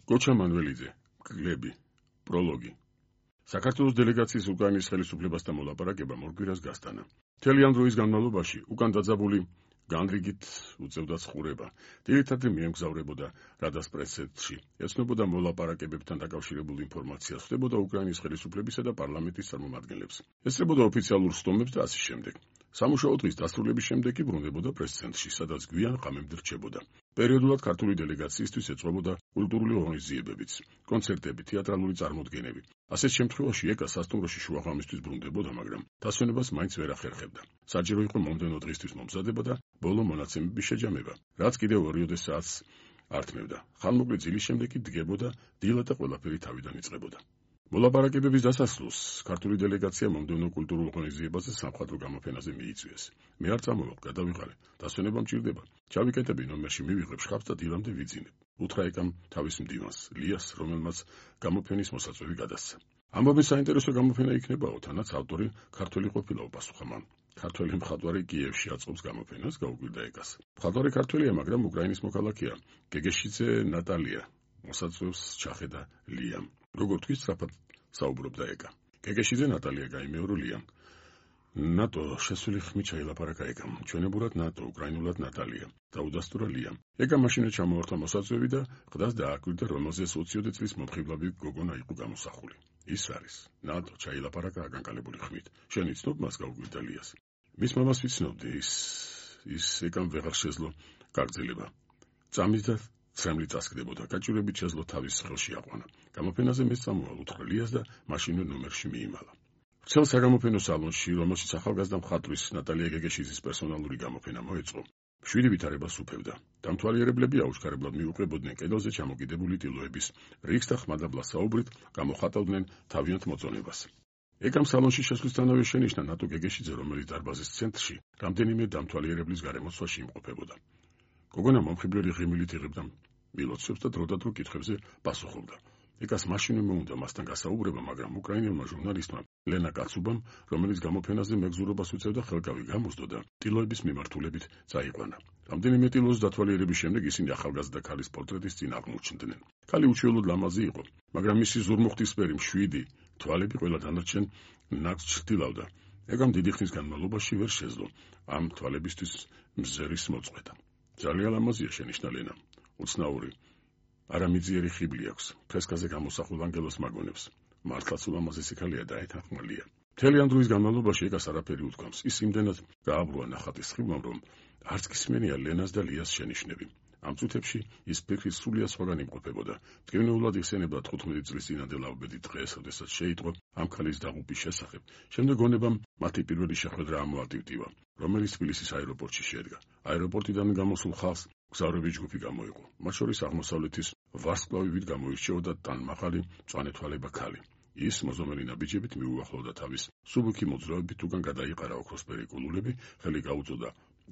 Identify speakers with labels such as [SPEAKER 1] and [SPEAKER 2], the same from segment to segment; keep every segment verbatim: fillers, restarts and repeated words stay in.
[SPEAKER 1] გოჩა მანველიძე, კლები, პროლოგი. საქართველოს დელეგაციის უკრაინის ხელისუფლებასთან მოლაპარაკება მორგვირას გასტანა. მთელი ამ დროის განმავლობაში უკან დაძაბული განრიგით უწევდა ცხოვრება. ძირითადად მიემგზავრებოდა რადას პრესცენტრში. ეცნობოდა მოლაპარაკებებთან დაკავშირებულ ინფორმაციას, ხვდებოდა უკრაინის ხელისუფლებისა და პარლამენტის წარმომადგენლებს. ესწრებოდა ოფიციალურ სტომებს და ასე შემდეგ. სამუშაო დღის დასრულების შემდეგ კი ბრუნდებოდა პრესცენტრში, სადაც გვიან ღამემდე რჩებოდა. პერიოდულად ქართული დელეგაციისთვის ეწყობოდა კულტურული ღონისძიებებიც, კონცერტები, თეატრალური წარმოდგენები. ასეთ შემთხვევაში ეკა სასტუმროში შუაღამისთვის ბრუნდებოდა, მაგრამ დასვენებას მაინც ვერ ახერხებდა. საჭირო იყო მომდევნო დღისთვის მომზადება და ბოლო მონაცემების შეჯამება, რაც კიდევ ორიოდე საათს ართმევდა. ხანმოკლე ძილის შემდეგ კი დგებოდა დილა და ყველაფერი თავიდან იწყებოდა. მოლაპარაკებების დასასრულს ქართული დელეგაცია მომდევნო კულტურულ ღონისძიებაზე სამხატვრო გამოფენაზე მიიწვიეს. მე არ წამოვალ, გადავიღალე, დასვენება მჭირდება. ჩავიკეტები ნომერში მივიღებ შხაპს და დილამდე ვიძინებ. უთხრა ეკამ თავის მდივანს, ლიას, რომელმაც გამოფენის მოსაწვევი გადასცა. ამბობენ საინტერესო გამოფენა იქნებაო, თანაც ავტორი ქართველი ყოფილაო, პასუხა მან. ქართველი მხატვარი კიევში აწყობს გამოფენას, გაუკვირდა ეკას. მხატვარი ქართველია, მაგრამ უკრაინის მოქალაქეა. გეგეშიძე ნატალია მოსაწვევს ჩახედა ლიამ. როგორ თქვი სწრაფად საუბრობდა ეკა. გეგეშიძე ნატალია გაიმეორო ლიამ. ნატო შესული ხმით ჩაილაპარაკა ეკამ. ჩვენებურად ნატო, უკრაინულად ნატალია. დაუდასტურა ლიამ. ეკა მაშინაც ჩამოართვა მოსაწვევი და ყდას დააკვირდა, რომელზეც ოციოდე წლის მომხიბლავი გოგონა იყო გამოსახული. ის არის ნატო ჩაილაპარაკა აგანკალებული ხმით. შენ იცნობ მას, გაუკვირდა ლიას. მის მამას ვიცნობდი, ის ის ეკამ ვეღარ შეძლო გაგრძელება. წამით და ცრემლი წასკდებოდა, გაჭირებით შეძლო თავის ხელში აყვანა. გამოფენაზე მეც წამოვალ, უთხრა ლიას და მაშინვე ნომერში მიიმალა. ვრცელ საგამოფენო სალონში, რომელშიც ახალგაზრდა მხატვრის ნატალია გეგეშიძის პერსონალური გამოფენა მოეწყო, შვიდი ვითარებას უფევდა. დამთვალიერებლები აუჩქარებლად მიუყვებოდნენ კედელზე ჩამოკიდებული ტილოების რიგს და ხმადაბლა საუბრით გამოხატავდნენ თავიანთ მოწონებას. ეკამ სალონში შესვლისთანავე შენიშნა ნატო გეგეშიძე, რომელიც დარბაზის ცენტრში რამდენიმე დამთვალიერებლის გარემოცვაში იმყოფებოდა. გოგონა მომხიბლელი ღიმილით იღებდა მილოცვებს და დროდადრო კითხვებზე პასუხობდა. ეკას მაშინვე მოუნდა მასთან გასაუბრება, მაგრამ უკრაინელმა ჟურნალისტმა ლენა კაცუბამ, რომელიც გამოფენაზე მეგზურობას უწევდა, ხელკავი გამოსდო და ტილოების მიმართულებით წაიყვანა. რამდენიმე ტილოს დათვალიერების შემდეგ ისინი ახალგაზრდა ქალის პორტრეტის წინ აღმოჩნდნენ. ქალი უჩვეულოდ ლამაზი იყო, მაგრამ მისი ზურმუხტისფერი მშვიდი თვალები ყველა დანარჩენ ნაკს ჩრდილავდა. ეკამ დიდი ხნის განმავლობაში ვერ შეძლო ამ თვალებისთვის მზერის მოწყვეტა. ძალიან ლამაზია, შენიშნა ლენა. უცნაური, არამიძიერი ხიბლი აქვს. ფრესკაზე გამოსახულ ანგელოს მაგონებს. მართლაც ულამაზესი ქალია და ეთანხმალია. მთელი ამ დროის განმავლობაში ეკას არაფერი უთქვამს. ის იმდენად გააბრუა ნახატის ხიბლამ, რომ არც გისმენია ლენას და ლიას შენიშვნები. ამ წუთებში ის ფიქრით სრულიად სხვაგან იმყოფებოდა. მტკივნეულად იხსენებდა თხუთმეტი წლის წინანდელ ავბედით დღეს, როდესაც შეიტყო ამ ქალის დაღუპვის შესახებ. შემდეგ გონებამ მათი პირველი შეხვედრა ამოატივტივა, რომელიც თბილისის აეროპორტში შედგა. აეროპორტიდან გამოსულ ხალხს მგზავრების ჯგუფი გამოიყო. მათ შორის აღმოსავლეთის ვარსკვლავივით გამოირჩეოდა ტანმახალი, მწვანეთვალება ქალი. ის მოზომელი ნაბიჯებით მიუახლოვდა თავის სუბუქი მოძრაობით, უკან გადაიყარა ოქროსფერი კულულები, ხელი გაუწოდა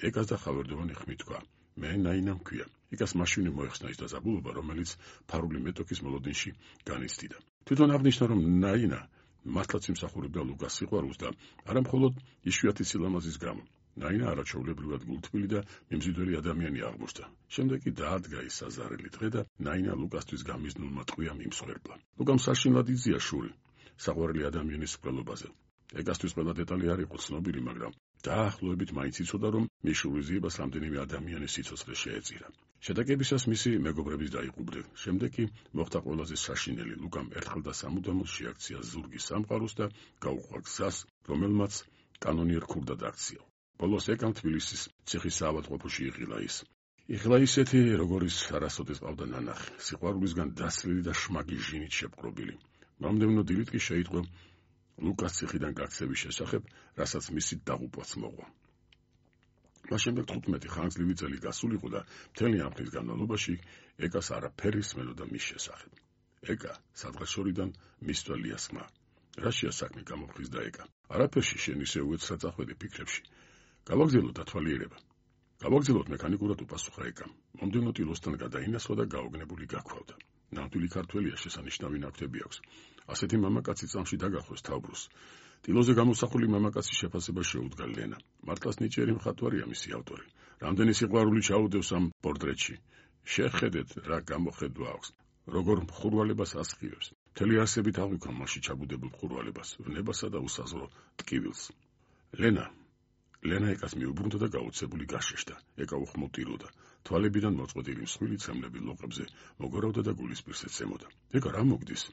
[SPEAKER 1] ეკას და ხავერდოვანი ხმით თქვა: მე ნაინა მქვია. ეკას მაშინვე მოეხსნა ის დაძაბულობა, რომელიც ფარული მეტოქის მოლოდინში განიცდიდა. თვითონ აღნიშნა, რომ ნაინა მართლაც იმსახურებდა ლუკას სიყვარულს და არა მხოლოდ იშვიათი სილამაზის გამო. ნაინა არაჩვეულებრივად გულთბილი და მიმზიდველი ადამიანი აღმოჩნდა. შემდეგ კი დაადგა ის საზარელი დღე და ნაინა ლუკასთვის გამიზნულმა ტყვიამ იმსხვერპლა. ლუკამ საშინლად იზია შური საყვარელი ადამიანის მკვლელობაზე. ეკასთვის ყველა დეტალი არ იყო ცნობილი, მაგრამ დაახლოებით მაინც იცოდა, რომ მის შურიზიებას რამდენიმე ადამიანის სიცოცხლე შეეწირა. შეტაკებისას მისი მეგობრების დაიყუბრნენ. შემდეგ კი მოხდა ყველაზე საშინელი. ლუკამ ერთხელ და სამუდამოდ შეაქცია ზურგის სამყაროს და გაუყვა გზას, რომელმაც კანონიერ ქურდად აქცია. ბოლოს ეკამ თბილისის ციხის საავადმყოფოში იღილა ის. იღილა ისეთი, როგორიც არასოდეს ყავდა ნანახი, სიყვარულისგან დასლილი და შმაგი ჟინით შეპყრობილი. მომდევნო დილით კი შეიტყო ლუკას ციხიდან გაქცევის შესახებ, რასაც მისი დაღუპვაც მოყვა. მას შემდეგ თხუთმეტი ხანგრძლივი წელი გასულიყო და მთელი ამ ხნის განმავლობაში ეკას არაფერი სმენოდა მის შესახებ. ეკა სადღეშორიდან მისვლა ლიას ხმა. რაშია საქმე, გამოფხიზდა ეკა. არაფერში, შენ ისე უეცრად წახვედი ფიქრებში. გავაგზავნოთ დათვალიერება. გავაგზავნოთ მექანიკურად, უპასუხა ეკამ. მომდევნო ტილოსთან გადაინაცვლა და გაოგნებული გაქვავდა. ნამდვილი ქართველია, შესანიშნავი ნაკვთები აქვს. ასეთი მამაკაცი წამში დაგახვეს თავბრუსს. ტილოზე გამოსახული მამაკაცის შეფასება შეუდგა ლენა. მართლაც ნიჭიერი მხატვარია მისი ავტორი. რამდენი სიყვარული ჩაუდევს ამ პორტრეტში. შეხედეთ, რა გამოხედვა აქვს. როგორ მხურვალებას ასხივებს. მთელი არსებით აღვიქვა მასში ჩაბუდებულ მხურვალებას, ვნებასა და უსაზღვრო ტკივილს. ლენა ლენა ეკას მიუბრუნდა და გაოცებული გაშეშდა. ეკა უხმოვტიროდა. თვალებიდან მოწყვეტილი მსხვილი ცემლები ლოყებზე მოგორავდა და გულის პირს ეცემოდა. ეკა რა მოგდის?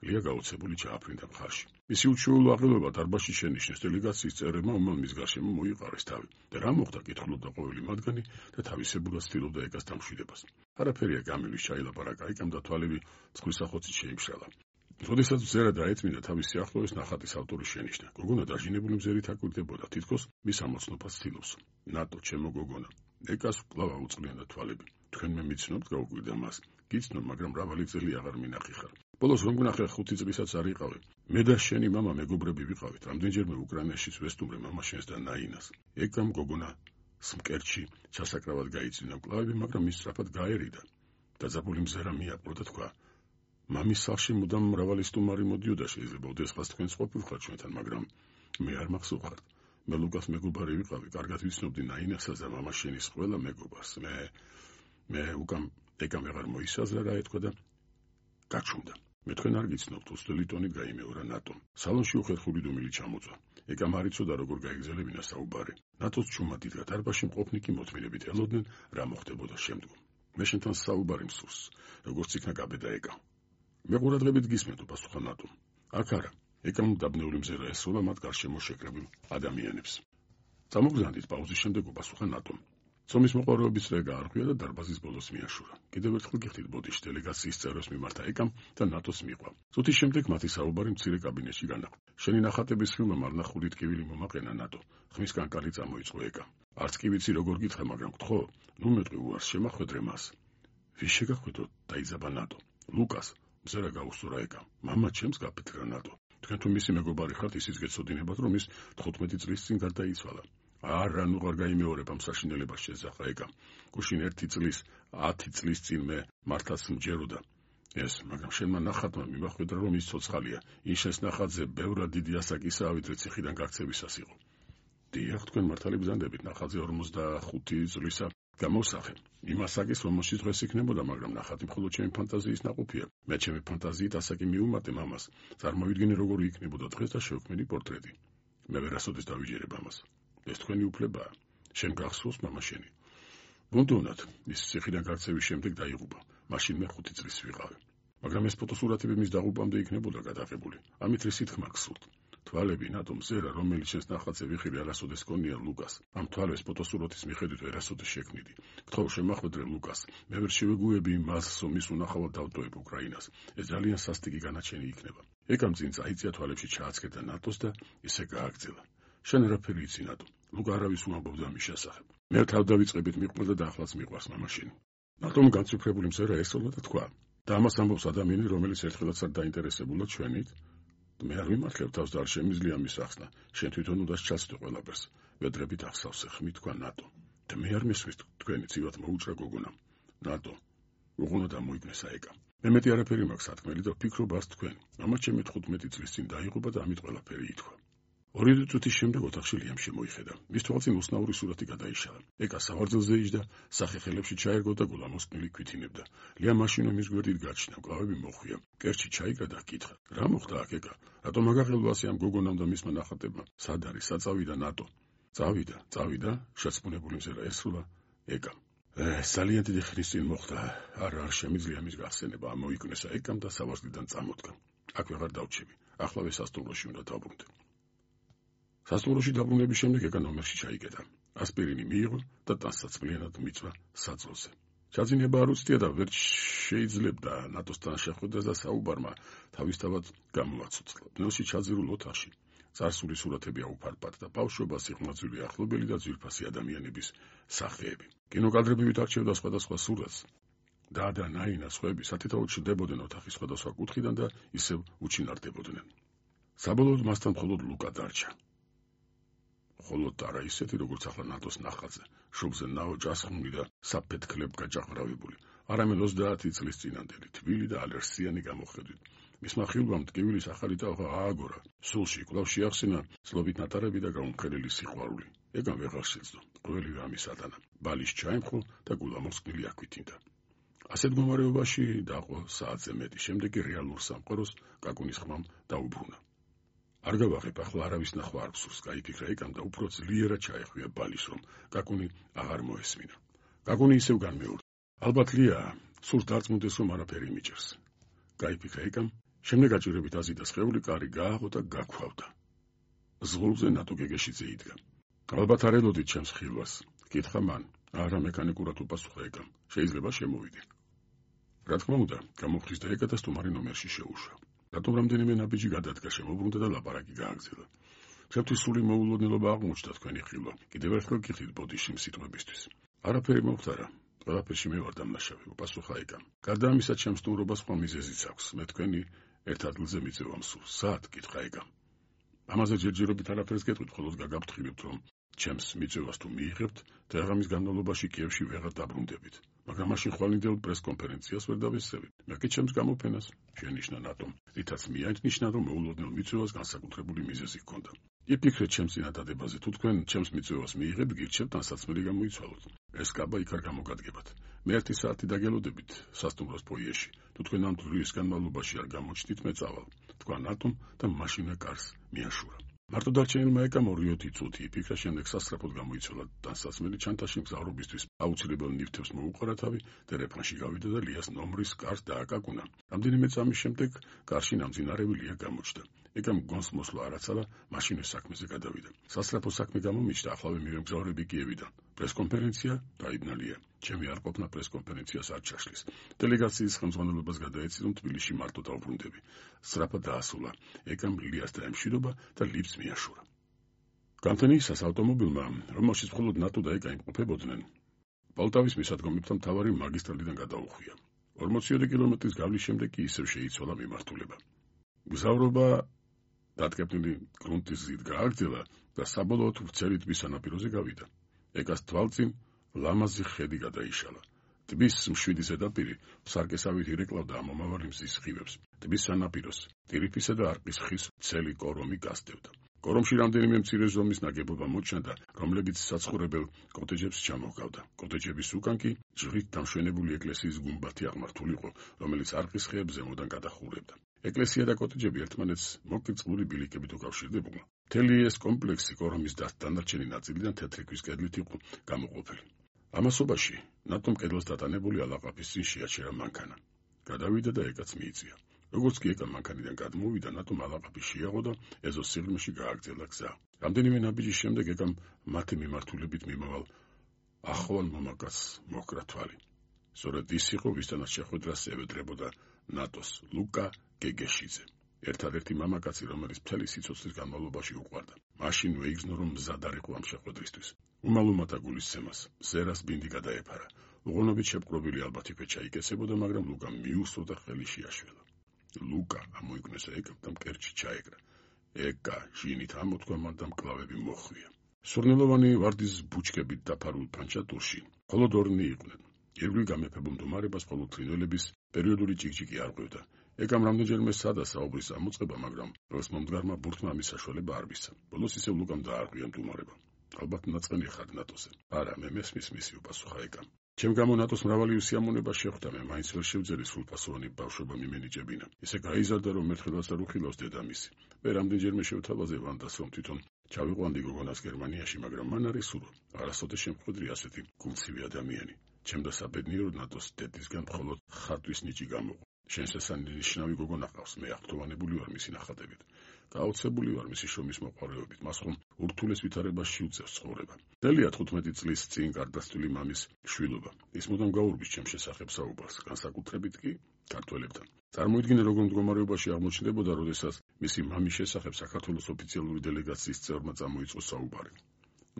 [SPEAKER 1] ლია გაოცებული ჩააფრინდა მხარში. მისი უჩვეულო აღელვება დარბაზში შენიშნეს. დელეგაციის წევრებმა უმალ მის გარშემო მოიყარეს თავი. და რა მოხდა? კითხულობდა ყოველი მათგანი და თავისებურად ცდილობდა ეკას დამშვიდებას. არაფერია გამილის ჩაილაპარაკა ეკამ და თვალები ცხვისახოცით შეიმშრალა. როდესაც მზერა დაეწმინდა თავის სიახლოვეს ნახატის ავტორი შენიშნა. გოგონა დაჟინებული მზერით აკვირდებოდა, თითქოს მის ამოცნობას ცდილობს. ნატო, ჩემო გოგონა. ეკას კვლავ აუწყლიანდა თვალები. თქვენ მე მიცნობთ, გაუკვირდა მას. გიცნობ, მაგრამ მრავალი წელი აღარ მინახი ხარ. ბოლოს რომ გნახე ხუთი წლისაც არ იყავი. მე და შენი მამა მეგობრები ვიყავით. რამდენჯერმე უკრაინაშიც ვესტუმრე მამა შენს და ნაინას. ეკამ გოგონა სმკერჩი ჩასაკრავად გაიწვინა მკლავები, მაგრამ ის სწრაფად გაერიდა. დაძაბული მზერა მიაპყრო და თქვა: მამის სახლში მუდამ მრავალი სტუმარი მოდიოდა, შეიძლება ოდესღაც თქვენს ყოფილიყავ ჩვენთან, მაგრამ მე არ მახსოვხართ. მე ლუკას მეგობარი ვიყავი, კარგად ვიცნობდი ნაინასას და მამას შენის ყველა მეგობარს. მე მე უკამ ეკამ აღარ მოისაზრა რა ეთქვა და გაჩუმდა. მე თქვენ არ გიცნობთ, უსტელი ტონით გაიმეორა ნატომ. სალონში უხერხული დუმილი ჩამოწვა. ეკამ არ იცოდა როგორ გაეგზელებინა საუბარი. ნატოს ჩუმა დიდგა დარბაზში მყოფნი კი მოთმინებით ელოდნენ რა მოხდებოდა შემდგომ. მე შენთან საუბარი მსურს, როგორც იქნა გაბედა ეკა. მე ყურადღებით გისმენთ, პასუხა ნატომ. აქ არა. ეკამ დაბნეული მზერა ესროლა მათ გარშემო შეკრებილ ადამიანებს. წამოგზავნით პაუზის შემდეგ პასუხა ნატომ. ცომის მოყვარეობის წრე გაარღვია და დარბაზის ბოლოს მიაშურა. კიდევ ერთხელ გიხდით ბოდიში დელეგაციის წევრებს მიმართა ეკამ და ნატოს მიყვა. წუთის შემდეგ მათი საუბარი მცირე კაბინეტში განაყრა. შენი ნახატების ფილმმა მარნახული ტკივილი მომაყენა ნატო. ხმის კანკალი წამოიწყო ეკა. არც კი ვიცი როგორ გითხრა, მაგრამ გთხოვ, ნუ მეტყვი უარს შემახვედრე მას. ვის შეგახვედრო? დაიძაბა ნატო. ლუკას. მზერა გაუსწორა ეკამ. მამა ჩემს გაფეთრა ნატო. თქვენ თუ მისი მეგობარი ხართ, ისიც გეცოდინებათ, რომ ის თხუთმეტი წლის წინ გარდაიცვალა. არა, ნუ არ გაიმეორებ ამ საშინელებას შეძახა ეკამ. გუშინ ერთი წლის, ათი წლის წინ მე მართლაც მჯეროდა ეს, მაგრამ შენმა ნახატმა მიმახვედრა, რომ ის ცოცხალია. იშეს ნახატზე ბევრად დიდი ასაკისაა, ვიდრე ციხიდან გაქცევისას იყო. დიახ, თქვენ მართალი ბრძანდებით, ნახატზე ორმოცდახუთი წლისა გამოსახე. იმ ასაკის, რომელშიც დღეს იქნებოდა, მაგრამ ნახატი მხოლოდ ჩემი ფანტაზიის ნაყოფია. მე ჩემი ფანტაზიით ასაკი მიუმატე მამას. წარმოვიდგინე როგორი იქნებოდა დღეს და შევქმნი პორტრეტი. მე ვერასოდეს დავიჯერებ ამას. ეს თქვენი უფლებაა. შენ გახსოვს მამა შენი. ბუნდოვნად, ის ციხიდან გაქცევის შემდეგ დაიღუპა. მაშინ მე ხუთი წლის ვიყავი. მაგრამ ეს ფოტოსურათები მის დაღუპამდე იქნებოდა გადაღებული. ამით რისი თქმა გსურთ? თვალები ნატო მზერა, რომელიც შენს ნახატზე ვიხილე არასოდეს გქონია ლუკას. ამ თვალებს ფოტოსურათის მიხედვით ვერასოდეს შექმნიდი. გთხოვ, შემახვედრე ლუკას. მე ვერ შევეგუები მას, რომ ის უნახავად დავტოვებ უკრაინას. ეს ძალიან სასტიკი განაჩენი იქნება. ეკამ წინ წაიწია თვალებში ჩააცქერდა ნატოს და ისე გააგრძელა. შენ რაფერი იცი ნატო? ლუკა არავის უამბობდა მის შესახებ. მე თავდავიწყებით მიყვარდა და ახლაც მიყვარს მამა შენი. ნატომ განციფრებული მზერა ესწორა და თქვა: და ამას ამბობს ადამიანი, რომელიც ერთხელაც არ დაინტერესებულა ჩვენით. მე არ ვიმართლებ თავს და არ შემიძლია მის ახსნა. შენ თვითონ უნდა ჩაცდე ყველაფერს. ვედრებით ახსავსე, ხმით თქვა ნატო. და მე არ მესმის თქვენი ცივად მოუჭრა გოგონა. ნატო, უღუნა დამოიგნესა ეკა. მე მეტი არაფერი მაქვს სათქმელი და ვფიქრობ არც თქვენ. მამა ჩემი თხუთმეტი წლის წინ დაიღუპა და ამით ყველაფერი ითქვა. ორი წუთის შემდეგ ოთახში ლიამ შემოიხედა. მის თვალწინ უსნაური სურათი გადაიშალა. ეკა სავარძელზე იჯდა, სახეხელებში ჩაერგო და გულამოსკნილი ქვითინებდა. ლია მაშინო მის გვერდით გაჩნდა, მკლავები მოხვია. კერჩი ჩაიგრა და ჰკითხა: რა მოხდა აქ ეკა? რატომ აგაღელვა ასე ამ გოგონამ და მისმა ნახატებმა? სად არის? საწავიდა ნატო. წავიდა, წავიდა, შეცმუნებული მზერა ესრულა ეკა. ეს ძალიან დიდი ხნის წინ მოხდა. არა, არ შემიძლია მის გახსენება. ამოიკვნესა ეკამ და სავარძლიდან წამოდგა. აქ ვეღარ დავჩები. ახლავე სასტუმროში უნდა დავბრუნდე. სასტუმროში დაბრუნების შემდეგ ეკა ნომერში ჩაიკეტა. ასპირინი მიიღო და ტანსაცმლიანად მიწვა საძვალზე. ჩაძინება არ უცდია და ვერ შეიძლებდა ნატოსთან შეხვედრას და საუბარმა თავისთავად გამოაცოცხლა. ნელში ჩაძირულ ოთახში წარსული სურათები აუფარფად და ბავშვობა, სიხმაძვილი ახლობელი და ძვირფასი ადამიანების სახეები. კინოკადრები ვითარჩევდა სხვადასხვა სურათს. და და ნაინა სხვები სათითაოდ ჩრდებოდნენ ოთახის სხვადასხვა კუთხიდან და ისევ უჩინარდებოდნენ. საბოლოოდ მასთან მხოლოდ ლუკა დარჩა. ხოლო არა ისეთი, როგორც ახლა ნატოს ნახატზე, შუბზე ნაო ჭასხმული და საფეთქლებ გაჭაღრავებული, არამედ ოცდაათი წლის წინანდელი, თბილი და ალერსიანი გამოხედვით. მისმა ხილვამ ტკივილის ახალი ტალღა ააგორა. სულში კვლავ შეახსენა ცლობით ნატარები და გაუმხელელი სიყვარული. ეკამ ვეღარ შეძლო. ყველივე ამის ატანა. ბალის ჩაემხო და გულამოსკნილი აქვითინდა. ასეთ მდგომარეობაში დაყო საათზე მეტი, შემდეგ კი რეალურ სამყაროს კაკუნის ხმამ დაუბრუნა. არ გავაღებ, ახლა არავის ნახვა არ გსურს, გაიფიქრა ეკამ და უფრო ძლიერად ჩაეხვია ბალის, რომ კაკუნი აღარ მოესმინა. კაკუნი ისევ განმეორდა. ალბათ ლია, სურს დარწმუნდეს, რომ არაფერი მიჭერს. გაიფიქრა ეკამ, შემდეგ აჭირებით აზიდა სხეული, კარი გააღო და გაქვავდა. ზღულზე ნატო გეგეშიძე იდგა. ალბათ არ ელოდით ჩემს ხილვას, კითხა მან, არა მექანიკურად უპასუხა ეკამ, შეიძლება შემოვიდე. რა თქმა უნდა, გამოხლის და ეკა და სტუმარი ნომერში შეუშვა. რატომ რამდენიმე ნაბიჯი გადადგა, შემოbrunდა და ლაპარაკი გააგრძელა. ჩემთვის სული მოულოდნელობა აღმოჩნდა თქვენი ხილვა. კიდევ ერთხელ გიხდით ბოდიში სიტყვებისთვის. არაფერი მომხდარა. ყველაფერში მე ვარ დამნაშავე, უპასუხა ეკამ. გარდა ამისა, ჩემს სტუმრობას სხვა მიზეზიც აქვს. მე თქვენი ერთ ადგილზე მიწევა მსურს. სად? კითხა ეკამ. ამაზე ჯერჯერობით არაფერს გეტყვით, ხოლოს გაგაფრთხილებთ, რომ ჩემს მიწევას თუ მიიღებთ, დღე-ღამის განმავლობაში კიევში ვეღარ დაბრუნდებით. მაგრამ მაშინ ხვალინდელ პრესკონფერენციას ვერ დავესწრებით. მე კი ჩემს გამოფენას შენიშნა ნატომ, რითაც მიანიშნა, რომ მოულოდნელ მიწევას განსაკუთრებული მიზეზი ჰქონდა. იფიქრეთ ჩემს წინადადებაზე, თუ თქვენ ჩემს მიწევას მიიღებთ, გირჩევთ ანსაცმელი გამოიცვალოთ. ეს კაბა იქ არ გამოგადგებათ. მე ერთი საათი დაგელოდებით სასტუმროს ფოიეში. თუ თქვენ ამ დროის განმავლობაში არ გამოჩნდით, მე წავალ. თქვა ნატომ და მაშინვე კარს მიაშურა. მარტო დარჩენილმა ეკამ ორი წუთი იფიქრა, შემდეგ სასწრაფოდ გამოიცვალა დასასმელი ჩანთაში მგზავრობისთვის აუცილებელ ნივთებს მოუყარა თავი, ტელეფონში გავიდა და ლიას ნომრის კარს დააკაკუნა. რამდენიმე წამის შემდეგ კარში ნამძინარევი ლია გამოჩნდა. ეკამ გონს მოსვლა არაცალა, მაშინვე საქმეზე გადავიდა. სასწრაფო საქმე გამომიჩნდა, ახლავე მივემგზავრები კიევიდან. პრესკონფერენცია დაიბნა ლია. ჩემი არ ყოფნა პრესკონფერენციას არ ჩაშლის. დელეგაციის ხელმძღვანელობას გადაეცი, რომ თბილისში მარტო დავბრუნდები. სწრაფად დაასულა ეკამ ლიას დაემშვიდობა და ლიფტს მიაშურა. გამთენიისას ავტომობილმა, რომელშიც მხოლოდ ნატო და ეკა იმყოფებოდნენ, პოლტავის მისადგომებთან მთავარი მაგისტრალიდან გადაუხვია. ორმოცი კილომეტრის გავლის შემდეგ კი ისევ შეიცვალა მიმართულება. მგზავრობა დატკეპნილი გრუნტის გზით გააგრძელა და საბოლოოდ ვრცელი ტბის სანაპიროზე გავიდა. ეკას თვალწინ ლამაზი ხედი გადაიშალა. ტბის მშვიდი ზედაპირი სარკესავით ირეკლავდა ამომავალი მზის სხივებს. ტბის სანაპიროს ტირიფისა და არყის ხის ცელი კორომი გასდევდა. კორომში რამდენიმე მცირე ზომის ნაგებობა მოჩანდა, რომლებიც საცხოვრებელ კოტეჯებს ჩამოჰგავდა. კოტეჯების უკან კი ჯვრით დამშვენებული ეკლესიის გუმბათი აღმართულიყო, რომელიც არყის ხეებს ზემოდან გადახურებდა. ეკლესია და კოტეჯები ერთმანეთს მოკრწყლული ბილიკებით უკავშირდებოდა. მთელი ეს კომპლექსი კორომის დანარჩენი ნაწილიდან თეთრი ქვის კედლით იყო გამოყოფილი. ამასობაში ნატომ კედელს დატანებული ალაყაფის წინ შეაჩერა მანქანა. გადავიდა და ეკაც მიიწვია. როგორც კი ეკა მანქანიდან გადმოვიდა, ნატომ ალაყაფი შეაღო და ეზოს სიღრმეში გააგრძელა გზა. რამდენიმე ნაბიჯის შემდეგ ეკამ მათი მიმართულებით მიმავალ ახვალ მომაკაცს მოჰკრა თვალი. სწორედ ის იყო, ვისთანაც შეხვედრას ევედრებოდა ნატოს ლუკა გეგეშიძე. ერთადერთი მამაკაცი, რომელიც მთელი სიცოცხლის განმავლობაში უყვარდა. მაშინ ვეიგზნო, რომ მზად არ იყო ამ შეხვედრისთვის. უმალუმათა გულისცემას, ზერას ბინდი გადაეფარა. უღონობით შეპყრობილი ალბათ იქ ჩაიკეცებოდა, მაგრამ ლუკამ მიუსწრო და ხელი შეაშველა. ლუკა ამოიგნესა ეკამ და მკერდში ჩაეკრა. ეკა ჟინით ამოთქვა მან და მკლავები მოხვია. სურნელოვანი ვარდის ბუჩქებით დაფარულ ფანჩატურში მხოლოდ ორნი იყვნენ. ირგვლივ გამეფებულ მდგომარებას მხოლოდ ფრინველების პერიოდული ჭიქჭიქი არ ყვევდა. ეკამ რამდენჯერმე სცადა საუბრის ამოწყება, მაგრამ როს მომდგარმა ბურთმა ამის საშუალება არ მისცა. ბოლოს ისევ ლუკამ დაარღვია მდგომარება. ალბათ ნაწყენი ხარ ნატოზე. არა, მე მესმის მისი უპასუხა ეკამ. ჩემ გამო ნატოს მრავალი უსიამოვნება შეხვდა, მე მაინც ვერ შევძელი სრულფასოვანი ბავშვობა მიმენიჭებინა. ისე გაიზარდა, რომ ერთხელაც არ უხილავს დედამისი. მე რამდენჯერმე შევთავაზე ვანდას, რომ თვითონ ჩავიყვანდი გოგონას გერმანიაში, მაგრამ მან არის სურვილი. არასოდეს შემხვედრი ასეთი გულცივი ადამიანი. ჩემ და საბედნიეროდ ნატოს დედისგან მხოლოდ ხატვის ნიჭი გამოყო. შენს ესანიშნავი გოგონა ყავს, მე აღფრთოვანებული ვარ მისი ნახატებით. გაოცებული ვარ მისი შრომის მოყვარეობით, მას ხომ ურთულეს ვითარებაში უწევს ცხოვრება. დელია თხუთმეტი წლის წინ გარდაცვლილი მამის შვილობა. ის მუდამ გაურბის ჩემ შესახებ საუბარს, განსაკუთრებით კი ქართველებთან. წარმოიდგინე, როგორ მდგომარეობაში აღმოჩნდებოდა, როდესაც მისი მამის შესახებ საქართველოს ოფიციალური დელეგაციის წევრმა წამოიწყო საუბარი.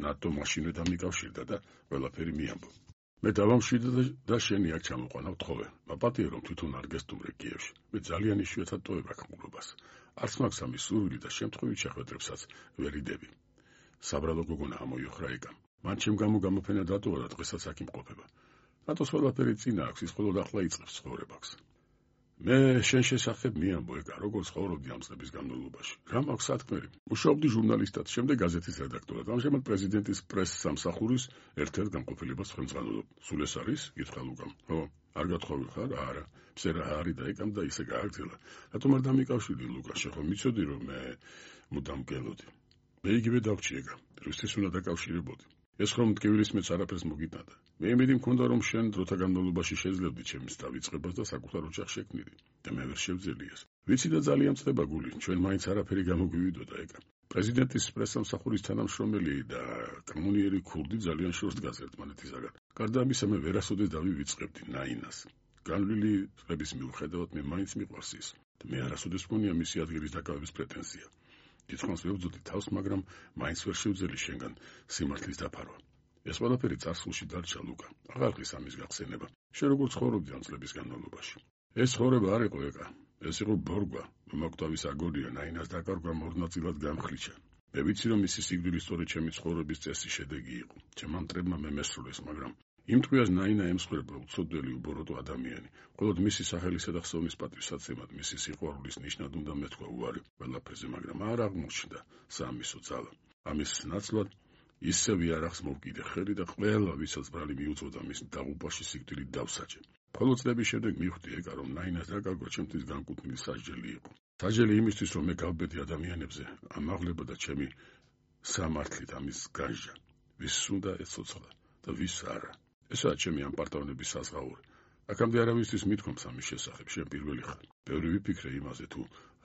[SPEAKER 1] ნატო მაშინვე დამიკავშირდა და ყველაფერი მიამბო. მე დავამშვიდე და შენი აქ ჩამოყვანა ვთხოვე. მაპატიე, რომ თვითონ არ გესტუმრე კიევში. მე ძალიან იშვიათად ტოვებ აქ მკვლობას. არც მაქვს ამის სურვილი და შემთხვევით შეხვედრებსაც ვერ იდები. საბრალო გოგონა ამოიოხრა ეკამ. მან ჩემ გამო გამოფენა დატოვა და დღესაც აქ იმყოფება. ნატოს ყველაფერი წინა აქვს, ის მხოლოდ ახლა იწყებს ცხოვრებას. მე შენ შესახებ მიამბო ეკა, როგორ ცხოვრობდი ამ წლების განმავლობაში. რა მაქვს სათქმელი? მუშაობდი ჟურნალისტად, შემდეგ გაზეთის რედაქტორად. ამჟამად პრეზიდენტის პრეს-სამსახურის ერთ-ერთ განყოფილებას ხელმძღვანელობ. სულ ეს არის? გითხრა ლუკამ. ხო, არ გათხოვი ხარ? არა. ფსერა არის და ეკამ და ისე გააგრძელა. რატომ არ დამიკავშირდი ლუკა? შეხო მიცოდი რომ მე მუდამ გელოდი. მე იგივე დავჭი ეკა. რუსეთის უნდა დაკავშირებოდი. ეს ხომ მტკივილის მეც არაფერს მოგიტანდა. მე იმედი მქონდა რომ შენ დროთა განმავლობაში შეძლებდი ჩემს დავიწყებას და საკუთარ ოჯახს შექმნიდი და მე ვერ შევძელი ეს. ვიცი და ძალიან წდება გული, ჩვენ მაინც არაფერი გამოგვივიდოდა ეკა. პრეზიდენტის პრესამსახურის თანამშრომელი და კანონიერი ქურდი ძალიან შორს დგას ერთმანეთისაგან. გარდა ამისა მე ვერასოდეს დავივიწყებდი ნაინას. განვლილი წლების მიუხედავად მე მაინც მიყვარს ის და მე არასოდეს მქონია მისი ადგილის დაკავების პრეტენზია. დიდხანს ვებრძოდი თავს, მაგრამ მაინც ვერ შევძელი შენგან სიმართლის დაფარვა. ეს ყველაფერი წარსულში დარჩა ლუკა. აღარ ხის ამის გახსენება. შენ როგორ ცხოვრობდი ამ წლების განმავლობაში? ეს ცხოვრება არ იყო ეკა. ეს იყო ბორგვა. მომაკვდავის აგონია, ნაინას დაკარგვა მორნაწილად გამხლიჩა. მე ვიცი რომ მისი სიკვდილი სწორედ ჩემი ცხოვრების წესის შედეგი იყო. ჩემმა მტრებმა მე მესრულეს, მაგრამ იმ ტყვიას ნაინა ემსხვერპლა უცოდველი უბოროტო ადამიანი. მხოლოდ მისი სახელისა და ხსოვნის პატივსაცემად, მისი სიყვარულის ნიშნად უნდა მეთქვა უარი ყველაფერზე, მაგრამ არ აღმოჩნდა საამისო ძალა. ამის ნაცვლად ისევ იარაღს მოვკიდე ხელი და ყველა ვისაც ბრალი მიუწოდა მის დაღუპვაში სიკვდილით დავსაჯე. მხოლოდ წლების შემდეგ მივხვდი ეკა რომ ნაინას დაკარგვა ჩემთვის განკუთვნილი სასჯელი იყო. სასჯელი იმისთვის რომ მე გავბედი ადამიანებზე, ამაღლებოდა ჩემი სამართლით ამის განსჯა. ვის უნდა ეცოცხლა და ვის არა. ესაა ჩემი ამ პარტავნების საზღაური. აქამდე არავისთვის მithქვამს ამის შესახებ, შენ პირველი ხარ. ბევრი ვიფიქრე იმაზე თუ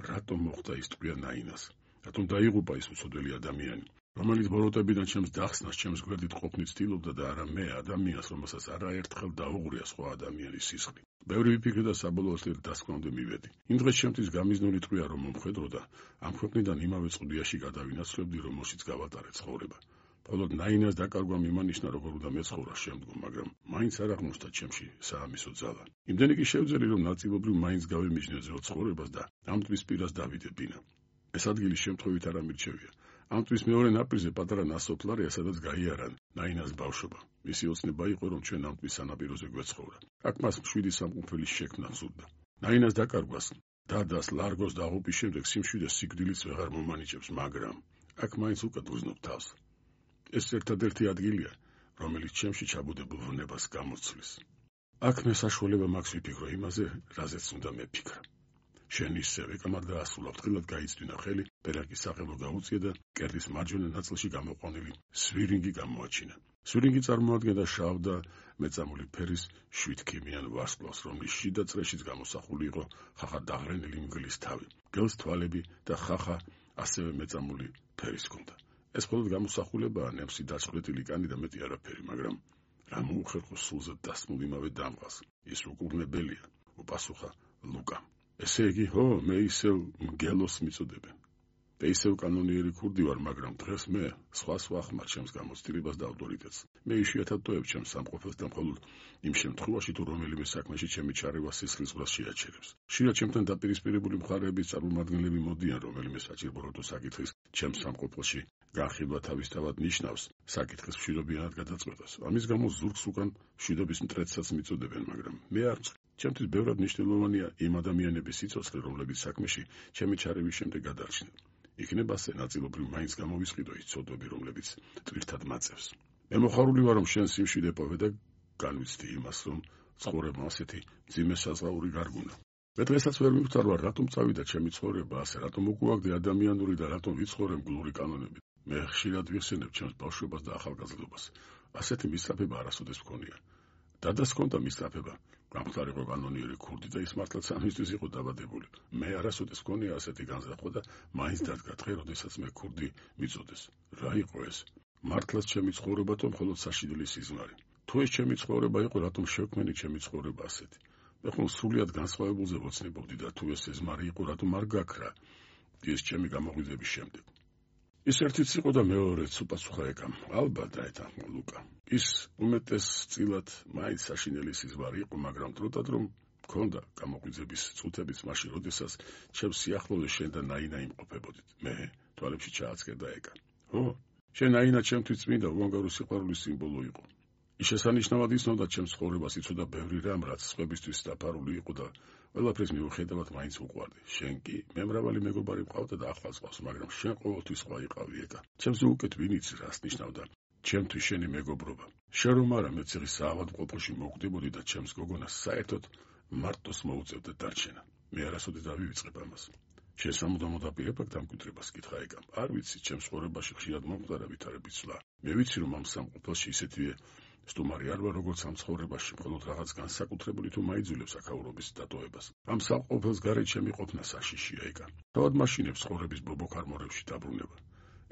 [SPEAKER 1] რატომ მოხდა ის ტყვია ნაინას, რატომ დაიღუპა ის უცოდველი ადამიანი, რომელიც ბოროტებიდან ჩემს დახსნას, ჩემს გვერდით ყოფნით ცდილობდა და არა მე ადამიანს, რომელსაც არაერთხელ დაუღრია სხვა ადამიანის სისხლი. ბევრი ვიფიქრე და საბოლოოდ ერთ დასკვნამდე მივედი. იმ დღეს ჩემთვის გამიზნული ტყვია რომ მომხედრო და ამ ქვეყნიდან იმავე წყუდიაში გადავინაცვლებდი, რომელშიც გავატარე ცხოვრება. მხოლოდ ნაინას დაკარგვა მიმანიშნა როგორ უნდა მეცხოვრა შემდგომ, მაგრამ მაინც არ აღმოჩნდა ჩემში საამისო ძალა. იმდენი კი შევძელი რომ ნაწილობრივ მაინც გავემიჯნე ძველ ცხოვრებას და ამ ტყვის პირას დავიდე ბინა. ეს ადგილი შემთხვევით არ ამირჩევია. ამ ტყვის მეორე ნაპირზე პატარა ნასოფლარია, სადაც გაიარა ნაინას ბავშვობა. მისი ოცნება იყო რომ ჩვენ ამ ტყვის სანაპიროზე გვეცხოვრა. აქ მას მშვიდი სამყოფელი შექმნა სურდა. ნაინას დაკარგვას, დადას, ლარგოს დაღუპვის შემდეგ სიმშვიდე სიკვდილიც ვეღარ მომანიჭებს, მაგრამ აქ მაინც უკეთ ვუზნობ თავს. ეს ერთადერთი ადგილია, რომელიც ჩემში ჩაბუდებულ ვნებას გამოცვლის. აქ მე საშუალება მაქვს ვიფიქრო იმაზე, რაზეც უნდა მეფიქრა. შენ ისევე კამარ დაასრულა, ფრთხილად გაიწვინა ხელი, პერაკის სახელო გაუწია და კერდის მარჯვენა ნაწილში გამოყვანილი სვირინგი გამოაჩინა. სვირინგი წარმოადგენდა შავ და მეწამული ფერის შვიდქიმიან ვარსკვლავს, რომლის შიდა წრეშიც გამოსახული იყო ხახა დაღრენილი მგლის თავი, გელს თვალები და ხახა ასევე მეწამული ფერის ჰქონდა. ეს მხოლოდ გამოსახულებაა, ნემსი დაწყვეტილი კანი და მეტი არაფერი, მაგრამ რა მოუხერხო სულზე დასმულ იმავე დამღას. ის უკურნებელია, უპასუხა ლუკამ. ესე იგი, ხო, მე ისევ მგელოს მიწოდებენ. და ისევ კანონიერი ქურდი ვარ, მაგრამ დღეს მე სხვას ვახმარ ჩემს გამოცდილებას და ავტორიტეტს. მე იშვიათად ტოვებ ჩემს სამყოფელს და მხოლოდ იმ შემთხვევაში თუ რომელიმე საქმეში ჩემი ჩარევა სისხლისღვრას შეაჩერებს. ხშირად ჩემთან დაპირისპირებული მხარეების წარმომადგენლები მოდიან რომელიმე საჭირო საკითხის ჩემს სამყოფელში განხილვა თავისთავად ნიშნავს საკითხის მშვიდობიანად გადაწყვეტას. ამის გამო ზურგს უკან მშვიდობის მტრედსაც მიწოდებენ, მაგრამ მე არ ვწყ. ჩემთვის ბევრად მნიშვნელოვანია იმ ადამიანების სიცოცხლე, რომლებიც საქმეში ჩემი ჩარევის შემდეგ გადარჩნენ. იქნება ასე ნაწილობრივ მაინც გამოვისყიდო ის ცოდვები, რომლებიც ტვირთად მაწევს. მე მოხარული ვარ, რომ შენ სიმშვიდე პოვე და განვიცდი იმას, რომ ცხოვრება ასეთი მძიმე საზღაური გარგუნა. მე დღესაც ვერ მივხვდარ, რატომ წავიდა ჩემი ცხოვრება ასე, რატომ უკუაგდე ადამიანური და რატომ ვიცხოვრე მგლური კანონებით. მე ხშირად ვიხსენებ ჩემს ბავშვობას და ახალგაზრდობას. ასეთი მისწრაფება არასოდეს მქონია. დადას ჰქონდა მისწრაფება, გამხდარ იყო კანონიერი ქურდი და ის მართლაც ამისთვის იყო დაბადებული. მე არასოდეს მქონია ასეთი განზრახვა და მაინც დადგა დღე, როდესაც მე ქურდი მიწოდეს. რა იყო ეს? მართლაც ჩემი ცხოვრება თუ მხოლოდ საშინელი სიზმარი? თუ ეს ჩემი ცხოვრება იყო, რატომ შევქმენი ჩემი ცხოვრება ასეთი? მე ხომ სრულიად განსხვავებულზე ვოცნებობდი და თუ ეს სიზმარი იყო, რატომ არ გაქრა ის ჩემი გამოღვიძების შემდეგ? ის ერთიც იყო და მეორეც, უპასუხა ეკამ. ალბათ დაეთანხმა ლუკა. ის უმეტესწილად მაინც საშინელი სიზმარი იყო, მაგრამ დროდადრო მქონდა გამოღვიძების წუთებიც მაშინ, როდესაც ჩემს სიახლოვეს შენ და ნაინა იმყოფებოდით. მე თვალებში ჩააცკერდა ეკა. ხო, შენ ნაინა ჩემთვის წმინდა უანგარო სიყვარულის სიმბოლო იყო. ის შესანიშნავად იცნობდა ჩემს ცხოვრებას, იცოდა ბევრი რამ, რაც სხვებისთვის დაფარული იყო და ყველაფრის მიუხედავად მაინც უყვარდი. შენ კი მე მრავალი მეგობარი მყავდა და ახლაც ყავს, მაგრამ შენ ყოველთვის სხვა იყავი ეკა. ჩემზე უკეთ ვინ იცის რას ნიშნავდა ჩემთვის შენი მეგობრობა. შენ რომ არა მეც ის საავადმყოფოში მოვკვდებოდი და ჩემს გოგონას საერთოდ მარტოს მოუწევდა დარჩენა. მე არასოდეს დავივიწყებ ამას. შენ სამუდამოდ აპირებ აქ დამკვიდრებას, კითხა ეკამ. არ ვიცი, ჩემს ცხოვრებაში ხშირად მომხდარა ვითარების ცვლა. მე ვიცი, რომ ამ სამყოფელში ისეთივე სტუმარი არ ვარ, როგორც ამ ცხოვრებაში, მხოლოდ რაღაც განსაკუთრებული თუ მაიძულებს აქაურობის დატოვებას. ამ სამყოფელს გარეთ ჩემი ყოფნა საშიშია ეკა. თავად მაშინებს ცხოვრების ბობოქარმორებში დაბრუნება.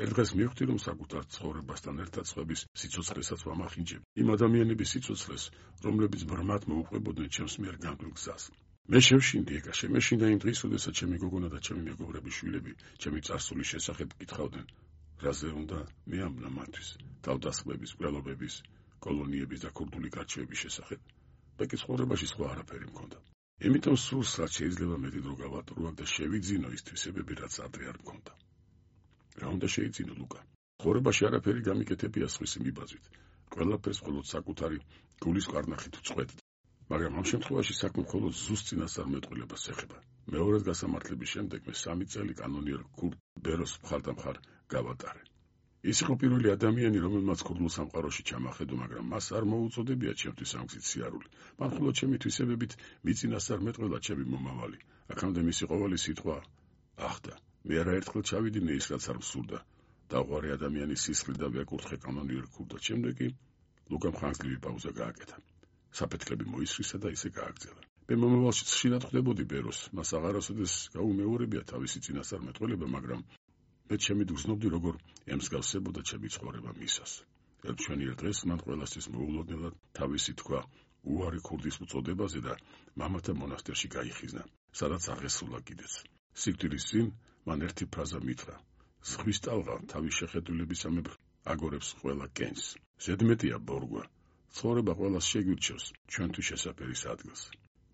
[SPEAKER 1] ერთ დღეს მივხვდი, რომ საკუთარ ცხოვრებასთან ერთად სხვების სიცოცხლესაც ვამახინჯებ. იმ ადამიანების სიცოცხლეს, რომლებიც ბრმად მოუყვებოდნენ ჩემს მიერ განგვილ გზას. მე შევშინდი ეკა, შემეშინდა იმ დღის, როდესაც ჩემი გოგონა და ჩემი მეგობრების შვილები ჩემი წარსულის შესახებ კითხავდნენ. რაზე უნდა მეამბნა მათთვის თავდასხმების, მკვლელობების, კოლონიების და ქურდული გარჩევების შესახებ. და კი ცხოვრებაში სხვა არაფერი მქონდა. იმიტომ სულს რაც შეიძლება მეტი დრო გავატურო და შევიძინო ის თვისებები, რაც ადრე არ მქონდა. რა უნდა შეიძინო ლუკა? ცხოვრებაში არაფერი გამიკეთებია სხვისი მიბაძვით. ყველაფერს მხოლოდ საკუთარი გულის კარნახით ვწყვეტ. მაგრამ ამ შემთხვევაში საქმე მხოლოდ ზუსტ წინასწარმეტყველებას ეხება. მეორედ გასამართლების შემდეგ მე სამი წელი კანონიერ ქურდ ბეროს მხარდამხარ გავატარე. ის იყო პირველი ადამიანი, რომელმაც ქურდულ სამყაროში ჩამახედო, მაგრამ მას არ მოუწოდებია ჩემთვის ამ გზით სიარული. მან მხოლოდ ჩემი თვისებებით მიწინასწარმეტყველა ჩემი მომავალი. აქამდე მისი ყოველი სიტყვა ახდა. მე არაერთხელ ჩავიდინე ის, რაც არ მსურდა. დაუღარი ადამიანის სისხლი და ვეკურთხე კანონიერ ქურდად. შემდეგ კი ლუკამ ხანგრძლივი პაუზა გააკეთა. საფეთქლები მოისრისა და ისე გააგრძელა. მე მომავალში ხშირად ხვდებოდი ბეროს. მას აღარასოდეს გაუმეორებია თავისი წინასწარმეტყველება, მაგრამ მე ჩემი გრძნობდი, როგორ ემსგავსებოდა ჩემი ცხოვრება მისას. ერთშვენიერ დღეს მან ყველასთვის მოულოდნელად თავისი თქვა უარი ქურდის უწოდებაზე და მამათა მონასტერში გაიხიზნა, სადაც აღესრულა კიდეც. სიკვდილის წინ მან ერთი ფრაზა მითხრა: ზღვის ტალღა თავის შეხედულებისამებრ აგორებს ყველა კენს. ზედმეტია ბორგვა. ცხოვრება ყველას შეგვირჩევს ჩვენთვის შესაფერის ადგილს.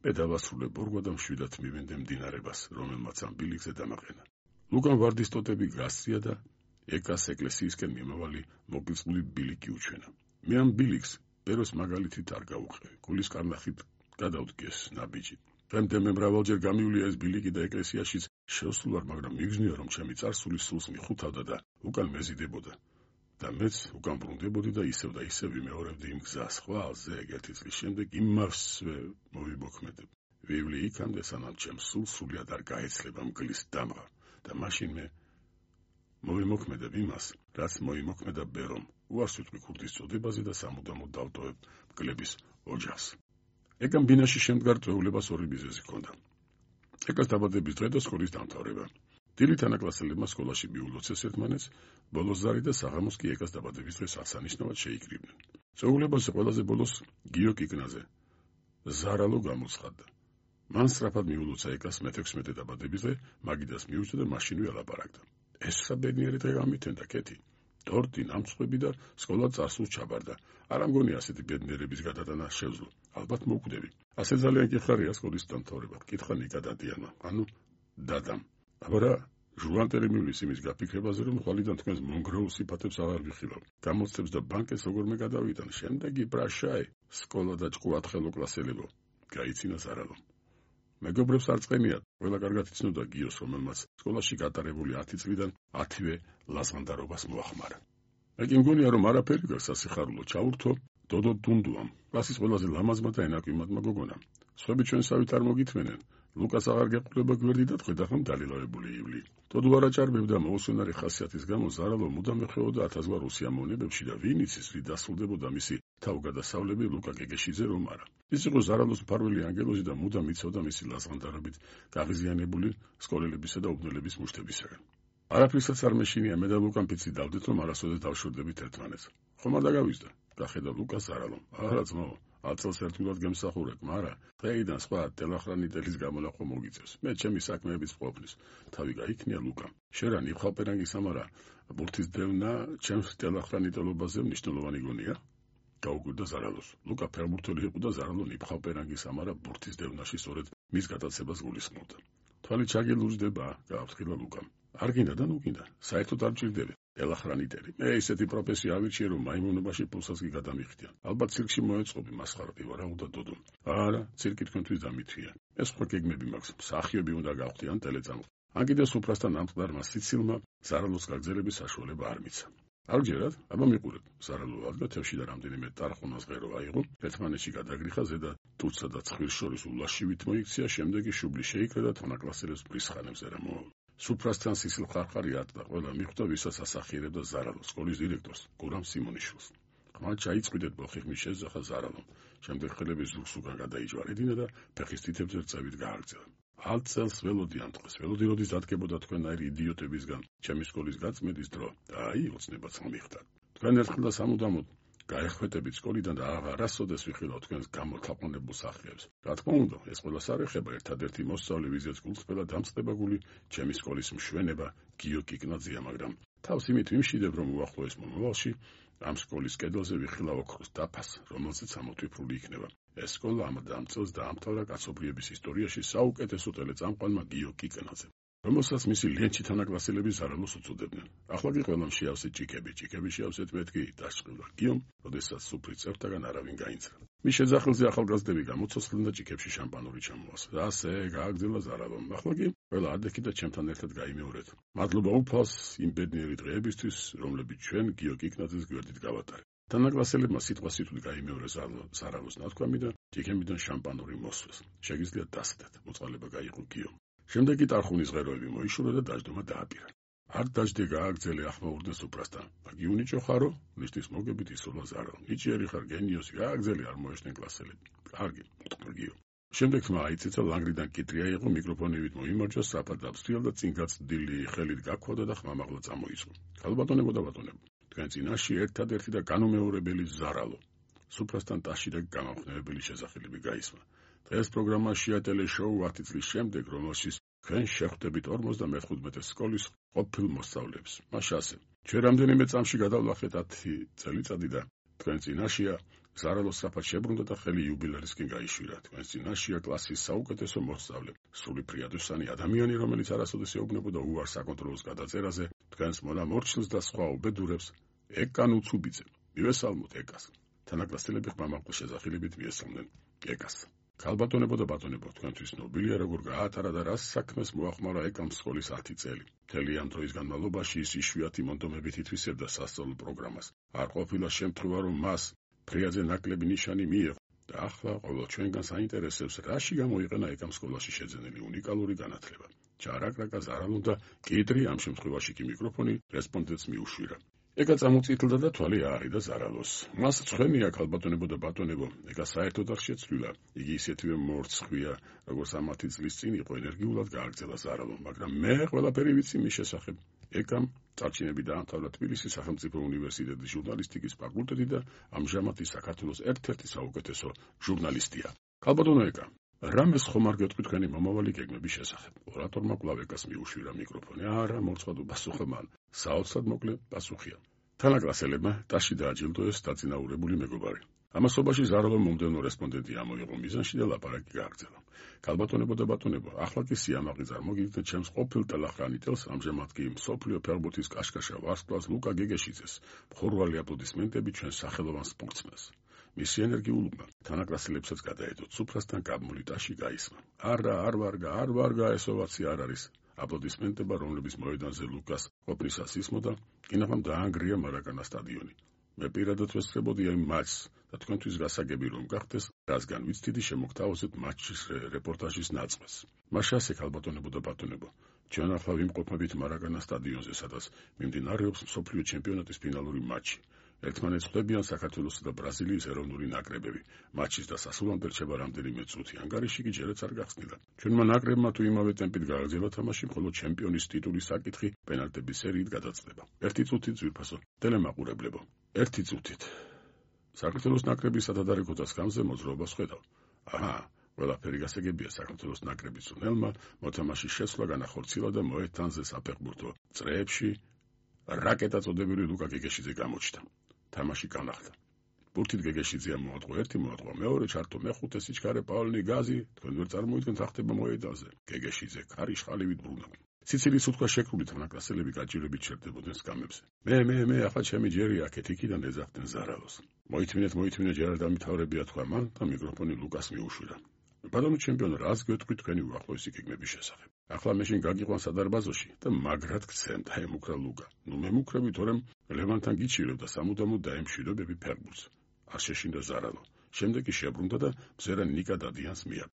[SPEAKER 1] მე დავასრულე ბორგვა და მშვიდად მივენდე მდინარებას, რომელმაც ამ ბილიკზე დამაყენა. ლუკამ ვარდის ტოტები გასწია და ეკას ეკლესიისკენ მიმავალი მოგილწმული ბილიკი უჩვენა. მე ამ ბილიკს ბეროს მაგალითით არ გავუყევი. გულის კარნახით გადავდგეს ნაბიჯი. დღემდე მე მრავალჯერ გამივლია ეს ბილიკი და ეკლესიაშიც შევსულ ვარ, მაგრამ მიგზნია, რომ ჩემი წარსული სულს მიხუთავდა და უკან მეზიდებოდა. და მეც უკან ბრუნდებოდი და ისევ და ისევ ვიმეორებდი იმ გზას. ხვალზე ერთი წლის შემდეგ იმავსვე მოვიმოქმედებ. ვივლი იქამდე, სანამ ჩემს სულს სულიად არ გაეცლება მგლის დამღა. და მაშინ მე მოვიმოქმედებ იმას, რაც მოიმოქმედა ბერომ. უარს ვიტყვი ქურდის წოდებაზე და სამუდამოდ დავტოვებ მგლების ოჯახს. ეკამ ბინაში შემდგარ წვეულებას ორი მიზეზი ჰქონდა. ეკას დაბადების დღე და სკოლის დამთავრება. დილით თანაკლასელებმა სკოლაში მიულოცეს ერთმანეთს, ბოლოს ზარი და საღამოს კი ეკას დაბადების დღეს აღსანიშნავად შეიკრიბნენ. წვეულებაზე ყველაზე ბოლოს გიო კიკნაძე ზარალო გამოცხადდა. მან სწრაფად მიულოცა ეკას მეთექვსმეტე დაბადების დღე, მაგიდას მიუძდა და მაშინვე ელაპარაკდა. ეს რა ბედნიერი დღე გამითენდა, კეთი. ტორტი, ნამცხვები და სკოლა წარსულს ჩაბარდა. არ ამგონი ასეთი ბედნიერების გადატანა შევძლო. ალბათ მოკვდები. ასე ძალიან გიხარია სკოლის დამთავრება. კითხა ნიკა დადიანმა, ანუ დადამ. აბა ჟუანტერი მივლის იმის გაფიქრებაზე, რომ ხვალიდან თქვენს მონგრეულ სიფათებს აღარ ვიხილავ. გამოცდებს და ბანკებს როგორმე გადავიტან. შემდეგი პრაშაი, სკოლა და ჭკუ ათხელო კლასელებო. გაიცინა ზარალო. მეგობრებს არ წყენიათ. ყველა კარგად იცნობდა გიოს, რომელმაც სკოლაში გატარებული ათი წლიდან ათივე ლაზღანდარობას მოახმარა. მე კი მგონია, რომ არაფერი გაქვს სასიხარულო ჩაურთო დოდო დუნდუამ, კლასის ყველაზე ლამაზმა და ენაკვიმადმა გოგონამ. სხვები ჩვენსავით არ მოგითმენენ. ლუკას აღარ გეყოლება გვერდი და თქვენ დახომ დალილავებული ივლი. დოდო არ აჭარბებდა მოუსვენარი ხასიათის გამო ზარალო მუდამ ეხეოდა ათასგვარ უსიამოვნებებში და ვინ იცის რი დასრულდებოდა მისი თავგადასავლები ლუკა გეგეშიძე რომ არა. ის იყო ზარალოს მფარველი ანგელოზი და მუდამ იცოდა მისი ლაზღანდარობით გაღიზიანებული სკოლებისა და უბნელების მუშტებისაგან. არაფრისაც არ მეშინია, მე და ლუკამ პიცი დავდეთ, რომ არასოდეს დავშვებდებით ერთმანეთს. ხომ არ დაგავიწყდა? გახედა ლუკას ზარალომ. არა ძმაო, აწელს ერთგულად გემსახურებ, მაგრამ დღეიდან სხვა ტელახრანიტელის გამონახვა მოგიწევს. მე ჩემი საქმეების ყოფნის. თავი გაიქნია ლუკამ. შერან იხალპერანგის ამარა ბურთის დევნა ჩემს ტელახრანიტელობაზე მნიშვნელოვანი გონია? გაუგვირდა ზარალოს. ლუკა ფერმურთელი იყო და ზარალო ნიფხალპერანგის ამარა ბურთის დევნაში სწორედ მის გადაცებას გულისხმობდა. თვალი ჩაგილურჯდება, გააფრთხილა ლუკამ. არ გინდა და ნუ გინდა, საერთოდ არ მჭირდება. ტელახრანიტელი. მე ისეთი პროფესია ავირჩიე, რომ მაიმუნობაში პულსაც კი გადამიხდიან. ალბათ ცირკში მოეწყობი, მასხარდი ვარ, აუდა დოდო. არა, ცირკი თქვენთვის დამithვია. ეს ხო გეგმები მაქვს, მსახიობი უნდა გავხდი ან ტელეწამყვი. ან კიდევ სუფრასთან ამწყდარმა სიცილმა ზარალოს გაგრძელების საშუალება არ მიცა. არ გჯერათ, აბა მიყურებ. ზარალო ადგა თევში და რამდენიმე ტარხუნას ღერო აიღო, ერთმანეთში გადაგრიხა ზედა ტუცსა და ცხვირს შორის ულაშივით მოიქცია, შემდეგი შუბლი შეიკრა და თანაკლასელებს ბრისხანებზე რა მოვა. სუფრასთან სისილ ხარხარი ატყდა, ყველა მიხვდა, ვისაც ასახიერებდა ზარალოს, სკოლის დირექტორს, გურამ სიმონიშვილს. ხმა ჩაიწვიდეთ ბოხი ხმის შეძახა ზარალომ. შემდეგ ხელების ზურგს უკან გადაიჯვარედინა და ფეხის თითებზე რწევით გააგრძელა. ათ წელს ველოდი ამ დღეს, ველოდი როდის დადგებოდა თქვენაირი იდიოტებისგან ჩემი სკოლის გაწმენდის დრო და აი ოცნებაც მომიხდათ. თქვენ ერთხელ და სამუდამოდ გაეხვეტებით სკოლიდან და აღარასოდეს ვიხილავ თქვენს გამოთაყვანებულ სახეებს. რა თქმა უნდა, ეს ყველას არ ეხება ერთადერთი მოსწავლე, ვიზეც გულწრფელად დამწყებაგული ჩემი სკოლის მშვენება გიო კიკნაძეა, მაგრამ თავს იმით ვიმშვიდებ, რომ უახლოეს მომავალში ამ სკოლის კედელზე ვიხილავ ოქროს დაფას, რომელზეც ამოტვიფრული იქნება. ეს სკოლა ამ დამწელს დაამთავრა კაცობრიობის ისტორიაში საუკეთესო ტელეწამყვანმა გიო კიკნაძემ, რომელსაც მისი ლენჩი თანაკლასელები ზარალოს უწოდებდნენ. ახლა კი ყველამ შეავსეთ ჭიქები, ჭიქები შეავსეთ მეთქი, დასჭყილა გიომ, როდესაც სუფრის წევრთაგან არავინ გაინცრა. მის შეძახილზე ახალგაზრდები გამოცოცხლდნენ და ჭიქებში შამპანური ჩამოას. ასე გააგრძელა ზარალომ. ახლა კი ყველა ადექი და ჩემთან ერთად გაიმეორეთ. მადლობა უფალს იმ ბედნიერი დღეებისთვის, რომლებიც ჩვენ გიო კიკნაძეს გვერდით გავატარეთ. თანაკლასელებმა სიტყვასიტყვით გაიმეორეს ზარალოს ნათქვამი და ჭიქებიდან შამპანური მოსვეს. შეგიძლიათ დასდეთ, მოწყალება გაიყო გიომ. შემდეგ კი ტარხუნის ღეროები მოიშურა და დაждდომა დააპირა. არ დაждდე გააგრძელე ახმაურდა სუფრასთან. მაგიუნიჭო ხარო, ნიშნის მოგებით ისოლა ზარალ. ნიჭიერი ხარ გენიოსი, გააგრძელე არ მოეშნენ კლასელები. კარგი, მოტყრგიო. შემდეგ თმა აიწეცა ლანგრიდან კიტრი აიღო, მიკროფონივით მოიმარჯვა, საფად დაბსტრიალ და წინ გაცდილი ხელით გაქვოდა და ხმამაღლა წამოიწყო. ქალბატონებო და ბატონებო, თქვენ წინაშე ერთადერთი და განუმეორებელი ზარალო. სუფრასთან ტაში და გამამხნევებელი შესახელები გაისმა. დღეს პროგრამაშია ტელეშოუ ათი წლის შემდეგ, რომელშიც თქვენ შეხვდებით ორმოცდამეხუთმეტე სკოლის ყოფილ მოსწავლეებს. მაშ ასე, ჩვენ რამდენიმე წამში გადავლახეთ ათი წელიწადი და თქვენ წინაშეა ზარალოს საფად შებრუნდა და ხელი იუბილერისკენ გაიშვირა. თქვენ წინაშეა კლასის საუკეთესო მოსწავლე, სული ფრიადოსანი ადამიანი, რომელიც არასოდეს ეუბნებოდა უარს საკონტროლოს გადაწერაზე, თქვენს მონამორჩილს და სხვა უბედურებს ეკან უცუბიძე. მივესალმოთ ეკას. თანაკლასელები ხმამაღლა შესახელებით მიესალმნენ ეკას. ქალბატონებო და ბატონებო, თქვენთვის ნობილია როგორ გაატარა და რას საქმეს მოახმარა ეკამ სკოლის ათი წელი. მთელი ამ დროის განმავლობაში ის იშვიათი მონდომებით ითვისებდა სასწავლო პროგრამას. არ ყოფილა შემთხვევა, რომ მას ფრიაძე ნაკლები ნიშანი მიიღო და ახლა ყოველ ჩვენგანს აინტერესებს, რაში გამოიყენა ეკამ სკოლაში შეძენილი უნიკალური განათლება. ჩარაკრაკა ზარალო და კიტრი, ამ შემთხვევაში კი მიკროფონი რესპონდენტს მიუშვირა. ეკა წამოწითლდა და თვალი აარიდა ზარალოს. მას ცხენია ქალბატონებო და ბატონებო, ეკა საერთოდ არ შეცვლილა. იგი ისეთივე მორცხვია, როგორც ამ ათი წლის წინ იყო, ენერგიულად გააგრძელა ზარალო, მაგრამ მე ყველაფერი ვიცი მის შესახებ. ეკამ წარჩინები დაამთავრა თბილისის სახელმწიფო უნივერსიტეტის ჟურნალისტიკის ფაკულტეტი და ამჟამად ის საქართველოს ერთ-ერთი საუკეთესო ჟურნალისტია. ქალბატონო ეკა, რამეს ხომ არ გეტყვი თქვენი მომავალი გეგმების შესახებ? ორატორმა კვლავ ეკას მიუშვირა მიკროფონი. არა, მორცხვად უპასუხა მან. საოცრად მოკლე პასუხია. თანაკლასელებმა ტაში დააჯილდოეს დაწინაურებული მეგობარი. ამასობაში ზარალომ მომდევნო რესპონდენტი ამოიღო მიზანში და ლაპარაკი გააგრძელა. ქალბატონებო და ბატონებო, ახლა კი სიამაყი წარმოგიდგენთ ჩემს ყოფილ ტელახრანიტელს, ამჟამად კი მსოფლიო ფეხბურთის კაშკაშა ვარსკვლავს ლუკა გეგეშიძეს. მხურვალი აპლოდისმენტები ჩვენ სახელოვან სპორტსმენს. მისი ენერგიულობა თანაკლასელებსაც გადაედოთ. სუფრასთან გაბმული ტაში გაისმა. არა, არ ვარგა, არ ვარგა, ესოვაცი არ არის. აპლოდისმენტება, რომლების მოედანზე ლუკას ყოფნისას ისმოდა, კინაღამ დაანგრია მარაკანა სტადიონი. მე პირადად ვესწრებოდი ამ მატჩს და თქვენთვის გასაგები რომ გახდეს, რასგან ვიცდიდი შემოგთავაზეთ მატჩის რეპორტაჟის ნაწყვეს. მაშ ასე ქალბატონებო და ბატონებო, ჩვენ ახლა ვიმყოფებით მარაკანა სტადიონზე, სადაც მიმდინარეობს მსოფლიო ჩემპიონატის ფინალური მატჩი. ერთმანეთს ხვდებიან საქართველოსა და ბრაზილიის ეროვნული ნაკრებები. მატჩის დასასრულამდე რჩება რამდენიმე წუთი. ანგარიში კი ჯერაც არ გახსნილა. ჩვენმა ნაკრებმა თუ იმავე ტემპით გააგრძელა თამაში, მხოლოდ ჩემპიონის ტიტულის საკითხი პენალტების სერიით გადაწყდება. ერთი წუთით ძვირფასო ტელემაყურებლებო. ერთი წუთით. საქართველოს ნაკრების სადადარეკოთას გამზე მოძრაობას ხედავ. აჰა, ყველაფერი გასაგებია საქართველოს ნაკრების ზონელმა მოთამაშის შესვლა განახორციელა და მოედანზე საფეხბურთო წრეებში რაკეტა წოდებული ლუკა გეგეშიძე გამოჩნდა. თამაში განახლდა. ბურთით გეგეშიძეა მოატყო ერთი, მოატყო მეორე, ჩართო მეხუთე, სიჩქარე პავლინი გაზი, თქვენ ვერ წარმოიდგენთ რა ხდება მოედანზე. გეგეშიძე ქარი შხალივით ბრუნდა. სიცილის უთქვა შეკრული თანაკლასელები გაჭირებით ჩერდებოდნენ სკამებზე. მე, მე, მე, ახლა ჩემი ჯერი აქეთ იქიდან ეძახდნენ ზარალოს. მოითმინეთ, მოითმინეთ, ჯერ არ დამთავრებია თქვა მან და მიკროფონი ლუკას მიუშვირა. ბატონო ჩემპიონო, რას გვეტყვით თქვენი უახლოესი გეგმების შესახებ? ახლა მეშინ გაგიყვან სადარბაზოში და მაგრად გცემთ, აემუქრა ლუგა. ნუ მემუქრები, თორემ ლევანთან გიჩირო და სამუდამოდ დაემშვიდობები ფეხბურთს. არ შეშინდა ზარალო. შემდეგ კი შებრუნდა და მზერა ნიკა დადიანს მიაბ